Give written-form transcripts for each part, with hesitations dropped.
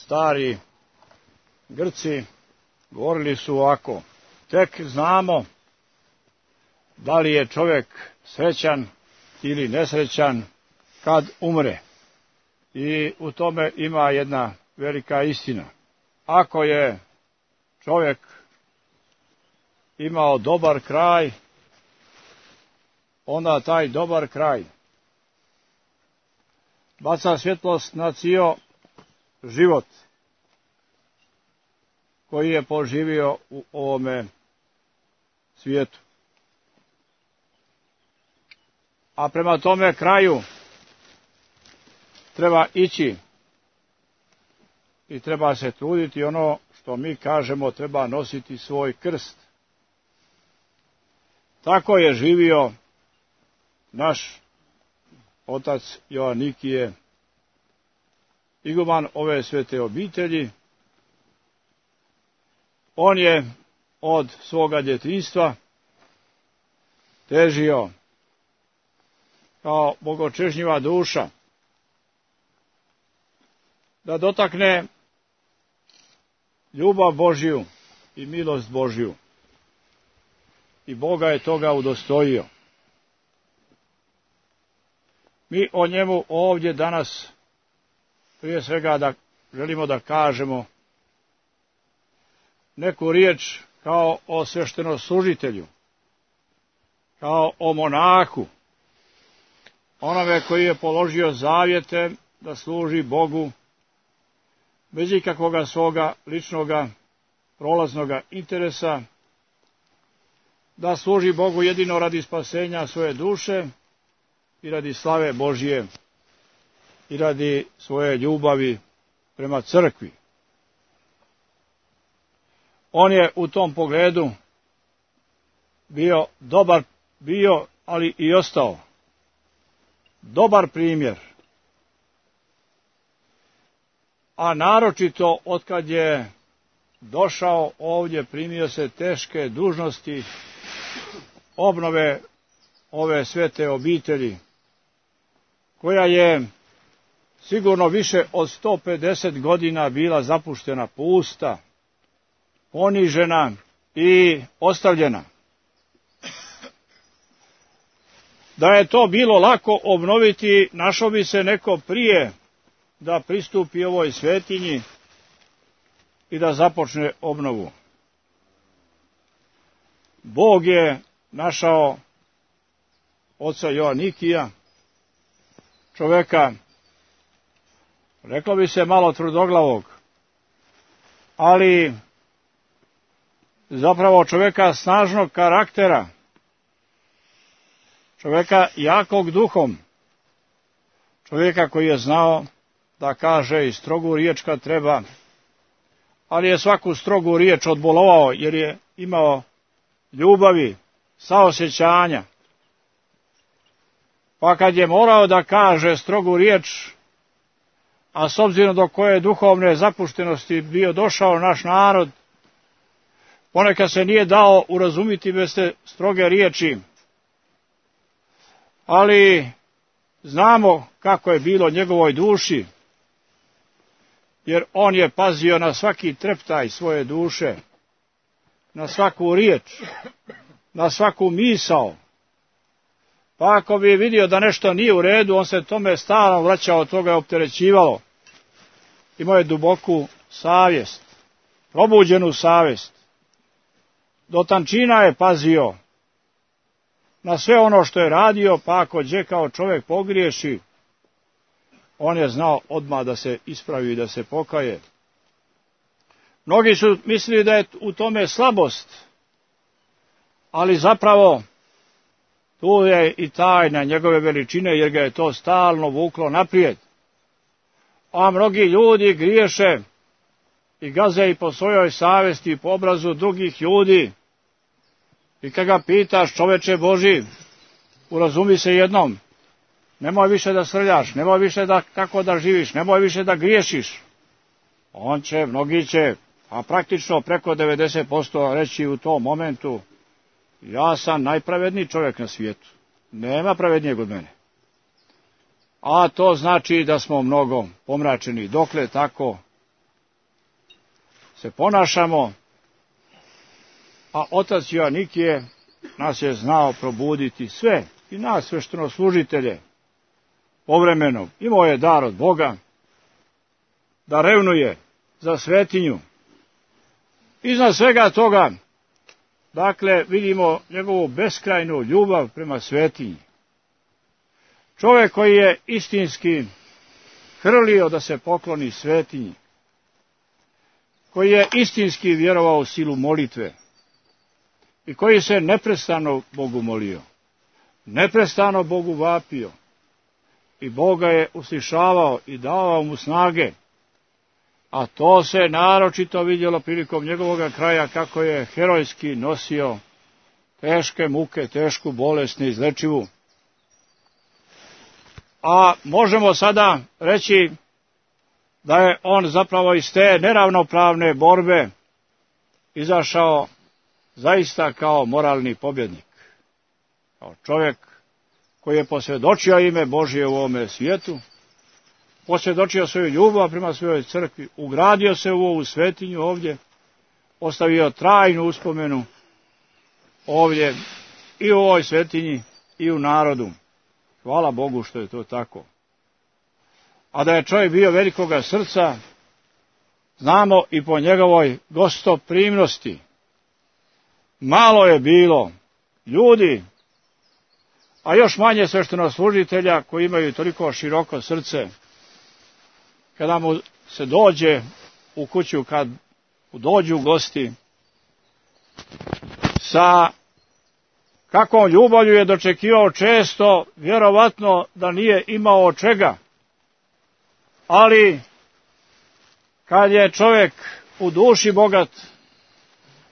stari Grci govorili su ovako: tek znamo da li je čovjek srećan ili nesrećan kad umre. I u tome ima jedna velika istina. Ako je čovjek imao dobar kraj, onda taj dobar kraj baca svjetlost na cijel život koji je poživio u ovome svijetu. A prema tome kraju treba ići i treba se truditi, ono što mi kažemo, treba nositi svoj krst. Tako je živio naš otac Joanikije, iguman ove svete obitelji. On je od svoga djetinjstva težio kao bogočežnjiva duša da dotakne ljubav Božju i milost Božju. I Boga je toga udostojio. Mi o njemu ovdje danas prije svega želimo da kažemo neku riječ kao o sveštenoslужitelju, kao o monahu, onome koji je položio zavjete da služi Bogu bez ikakvoga svoga ličnoga prolaznoga interesa, da služi Bogu jedino radi spasenja svoje duše i radi slave Božje i radi svoje ljubavi prema crkvi. On je u tom pogledu bio, ali i ostao dobar primjer. A naročito otkad je došao ovdje, primio se teške dužnosti obnove ove svete obitelji, koja je sigurno više od 150 godina bila zapuštena, pusta, ponižena i ostavljena. Da je to bilo lako obnoviti, našao bi se neko prije da pristupi ovoj svetinji i da započne obnovu. Bog je našao oca Joanikija, čoveka, reklo bi se malo tvrdoglavog, ali zapravo čoveka snažnog karaktera, čoveka jakog duhom, čovjeka koji je znao da kaže i strogu riječ kad treba, ali je svaku strogu riječ odbolovao jer je imao ljubavi, saosjećanja. Pa kad je morao da kaže strogu riječ, a s obzirom do koje duhovne zapuštenosti bio došao naš narod, ponekad se nije dao urazumiti bez te stroge riječi, ali znamo kako je bilo njegovoj duši, jer on je pazio na svaki treptaj svoje duše, na svaku riječ, na svaku misao. Pa ako bi vidio da nešto nije u redu, on se tome stalno vraćao, toga je opterećivalo. Imao je duboku savjest, probuđenu savjest. Do tančina je pazio na sve ono što je radio, pa ako gdje kao čovjek pogriješi, on je znao odmah da se ispravi i da se pokaje. Mnogi su mislili da je u tome slabost, ali zapravo tu je i tajna njegove veličine, jer ga je to stalno vuklo naprijed. A mnogi ljudi griješe i gaze i po svojoj savjesti i po obrazu drugih ljudi. I kad ga pitaš, čoveče Boži, urazumi se jednom, nemoj više da srljaš, nemoj više kako da živiš, nemoj više da griješiš. Mnogi će, a praktično preko 90% reći u tom momentu, ja sam najpravedniji čovjek na svijetu, nema pravednijeg od mene. A to znači da smo mnogo pomračeni. Dokle tako, se ponašamo, a otac Joanikije nas je znao probuditi sve, i nas sveštenoslужitelje povremeno. Imao je dar od Boga da revnuje za svetinju. Iznad svega toga, dakle, vidimo njegovu beskrajnu ljubav prema svetinji. Čovjek koji je istinski hrlio da se pokloni svetinji, koji je istinski vjerovao u silu molitve i koji se neprestano Bogu molio, neprestano Bogu vapio i Boga je uslišavao i davao mu snage, a to se naročito vidjelo prilikom njegovoga kraja kako je herojski nosio teške muke, tešku bolest neizlečivu. A možemo sada reći da je on zapravo iz te neravnopravne borbe izašao zaista kao moralni pobjednik, kao čovjek koji je posvjedočio ime Božje u ovome svijetu, posvjedočio svoju ljubav prema svojoj crkvi, ugradio se u ovu svetinju ovdje, ostavio trajnu uspomenu ovdje i u ovoj svetinji i u narodu. Hvala Bogu što je to tako. A da je čovjek bio velikoga srca, znamo i po njegovoj gostoprimnosti. Malo je bilo ljudi, a još manje sveštenoslужitelja koji imaju toliko široko srce, kada mu se dođe u kuću, kad dođu gosti, sa kakvom ljubavlju je dočekivao često, vjerovatno da nije imao od čega. Ali kad je čovjek u duši bogat,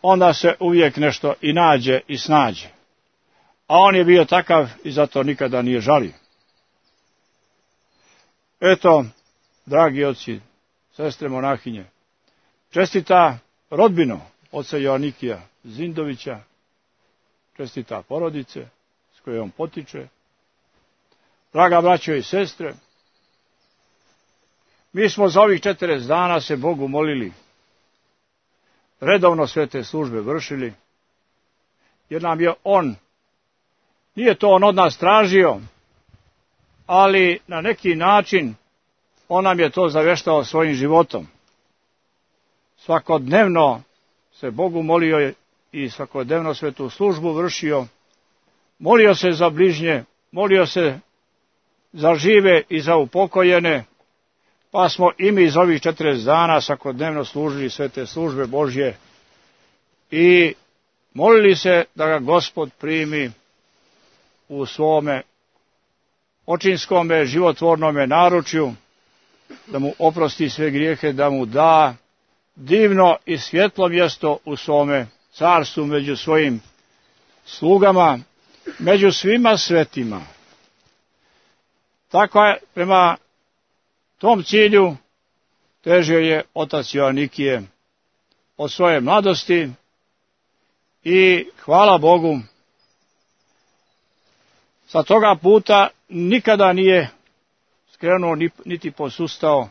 onda se uvijek nešto i nađe i snađe. A on je bio takav i zato nikada nije žalio. Eto, dragi oci, sestre monahinje, čestita rodbino oca Joanikija Zindovića, čestita porodice s koje on potiče, draga braćo i sestre, mi smo za ovih 40 dana se Bogu molili, redovno sve te službe vršili, jer nam je on, nije to on od nas tražio, ali na neki način on nam je to zaveštao svojim životom. Svakodnevno se Bogu molio i svakodnevno svetu službu vršio, molio se za bližnje, molio se za žive i za upokojene, pa smo i mi iz ovih 40 dana svakodnevno služili sve te službe Božje i molili se da ga Gospod primi u svome očinskome životvornome naručju, da mu oprosti sve grijehe, da mu da divno i svjetlo mjesto u svome carstvu među svojim slugama, među svima svetima. Tako je, prema tom cilju težio je otac Joanikije od svoje mladosti i hvala Bogu, sa toga puta nikada nije skrenuo niti posustao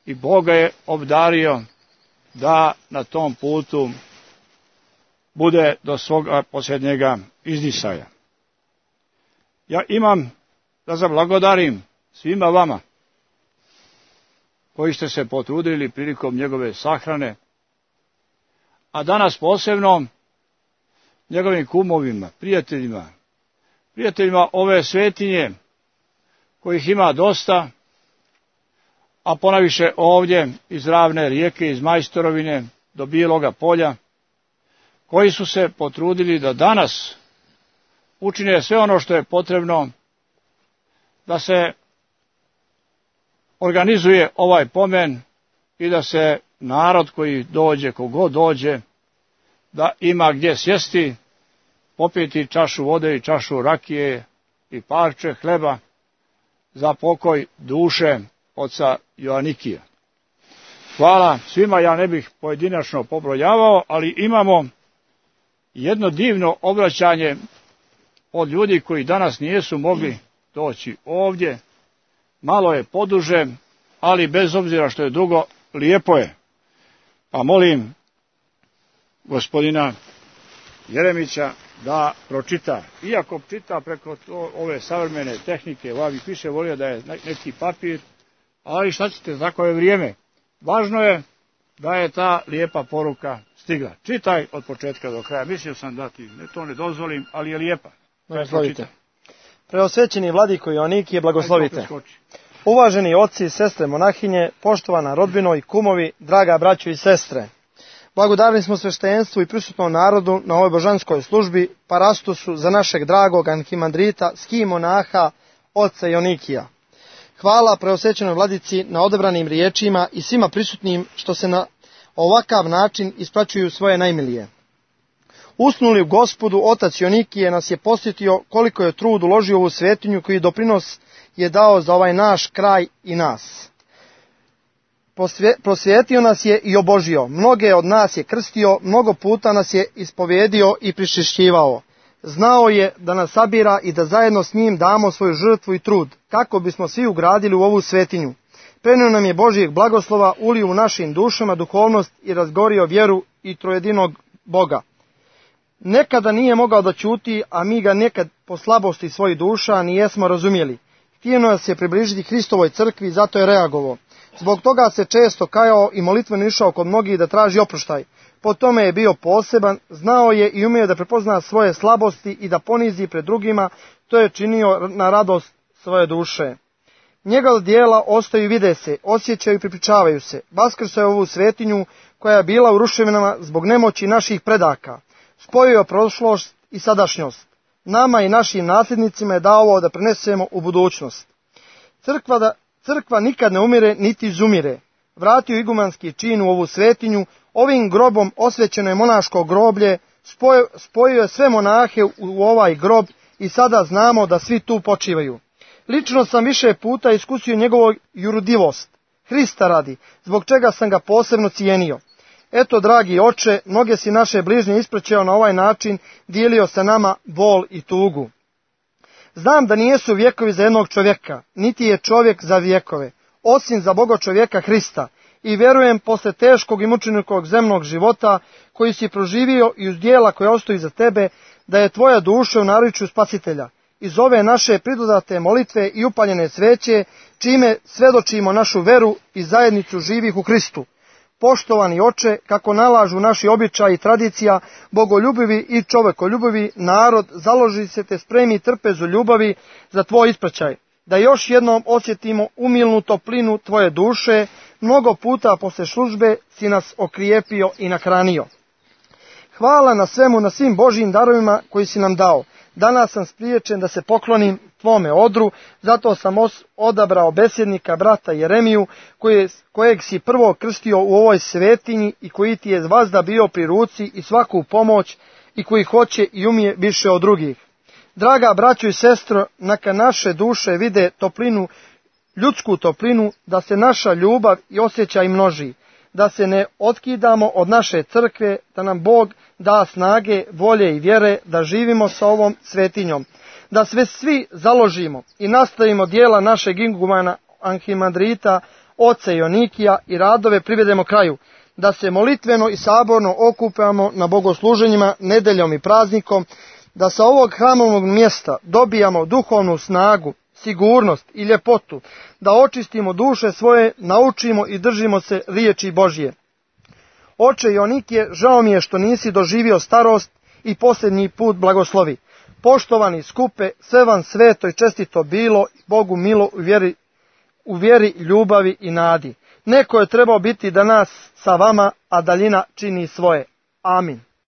i Bog ga je obdario da na tom putu bude do svoga posljednjega izdisaja. Ja imam da zablagodarim svima vama koji ste se potrudili prilikom njegove sahrane, a danas posebno njegovim kumovima, prijateljima ove svetinje, kojih ima dosta, a ponaviše ovdje iz Ravne rijeke, iz Majstorovine do Bijeloga polja, koji su se potrudili da danas učine sve ono što je potrebno da se organizuje ovaj pomen i da se narod koji dođe, kogod dođe, da ima gdje sjesti, popiti čašu vode i čašu rakije i parče hleba za pokoj duše oca Joanikija. Hvala svima, ja ne bih pojedinačno pobrojavao, ali imamo jedno divno obraćanje od ljudi koji danas nisu mogli doći ovdje. Malo je poduže, ali bez obzira što je dugo, lijepo je. Pa molim gospodina Jeremića da pročita. Iako čita preko ove savremene tehnike, ja bih više volio da je neki papir, ali šta ćete, tako je vrijeme. Važno je da je ta lijepa poruka stigla. Čitaj od početka do kraja. Mislio sam da ti to ne dozvolim, ali je lijepa. Blagoslovite. Preosvećeni vladiko Joanikije, blagoslovite. Uvaženi oci i sestre monahinje, poštovana rodbino i kumovi, draga braćo i sestre. Blagodarni smo sveštenstvu i prisutnom narodu na ovoj božanskoj službi, parastosu za našeg dragog arhimandrita, skimonaha, oca Joanikija. Hvala preosvećenoj vladici na odabranim riječima i svima prisutnim što se na ovakav način ispraćuju svoje najmilije. Usnuli u Gospodu, otac Joanikije nas je posjetio koliko je trud uložio u ovu svetinju koji doprinos je dao za ovaj naš kraj i nas. Prosvijetio nas je i obožio, mnoge od nas je krstio, mnogo puta nas je ispovjedio i pričišćivao. Znao je da nas sabira i da zajedno s njim damo svoju žrtvu i trud, kako bismo svi ugradili u ovu svetinju. Prenio nam je Božijeg blagoslova, ulio u našim dušama duhovnost i razgorio vjeru i trojedinog Boga. Nekada nije mogao da ćuti, a mi ga nekad po slabosti svojih duša nijesmo razumjeli. Htio nas je približiti Hristovoj crkvi, zato je reagovao. Zbog toga se često kajao i molitveno išao kod mnogih da traži oproštaj. Po tome je bio poseban, znao je i umio da prepozna svoje slabosti i da ponizi pred drugima, to je činio na radost svoje duše. Njegova djela ostaju i vide se, osjećaju i pripričavaju se. Vaskrsao je ovu svetinju koja je bila u ruševinama zbog nemoći naših predaka. Spojio je prošlost i sadašnjost. Nama i našim nasljednicima je dao ovo da prenesemo u budućnost. Crkva nikad ne umire niti izumire. Vratio igumanski čin u ovu svetinju, ovim grobom osvećeno je monaško groblje, spojio je sve monahe u ovaj grob i sada znamo da svi tu počivaju. Lično sam više puta iskusio njegovu jurudivost, Hrista radi, zbog čega sam ga posebno cijenio. Eto, dragi oče, mnoge si naše bližnje ispraćao na ovaj način, dijelio sa nama bol i tugu. Znam da nijesu vjekovi za jednog čovjeka, niti je čovjek za vjekove, osim za Boga čovjeka Hrista, i vjerujem posle teškog i mučenikog zemnog života koji si proživio i uz djela koje ostaju za tebe, da je tvoja duša u naričju Spasitelja. Iz ove naše pridodate molitve i upaljene sveće, čime svedočimo našu veru i zajednicu živih u Hristu. Poštovani oče, kako nalažu naši običaji i tradicija, bogoljubivi i čovekoljubivi narod založi se te spremi trpezu ljubavi za tvoj ispraćaj, da još jednom osjetimo umilnu toplinu tvoje duše, mnogo puta posle službe si nas okrijepio i nahranio. Hvala na svemu, na svim Božjim darovima koji si nam dao. Danas sam spriječen da se poklonim tvome odru, zato sam odabrao besjednika brata Jeremiju, kojeg si prvo krstio u ovoj svetinji i koji ti je vazda bio pri ruci i svaku pomoć i koji hoće i umije više od drugih. Draga braćo i sestro, neka naše duše vide toplinu, ljudsku toplinu, da se naša ljubav i osjećaj množi, da se ne otkidamo od naše crkve, da nam Bog da snage, volje i vjere da živimo sa ovom svetinjom, da sve svi založimo i nastavimo djela našeg igumana arhimandrita, oca Joanikija i radove privedemo kraju, da se molitveno i saborno okupamo na bogosluženjima nedeljom i praznikom, da sa ovog hramovog mjesta dobijamo duhovnu snagu, sigurnost i ljepotu, da očistimo duše svoje, naučimo i držimo se riječi Božje. Oče Joanikije, žao mi je što nisi doživio starost i posljednji put blagoslovi. Poštovani skupe, sve vam sveto i čestito bilo, Bogu milo u vjeri, ljubavi i nadi. Neko je trebao biti danas sa vama, a daljina čini svoje. Amin.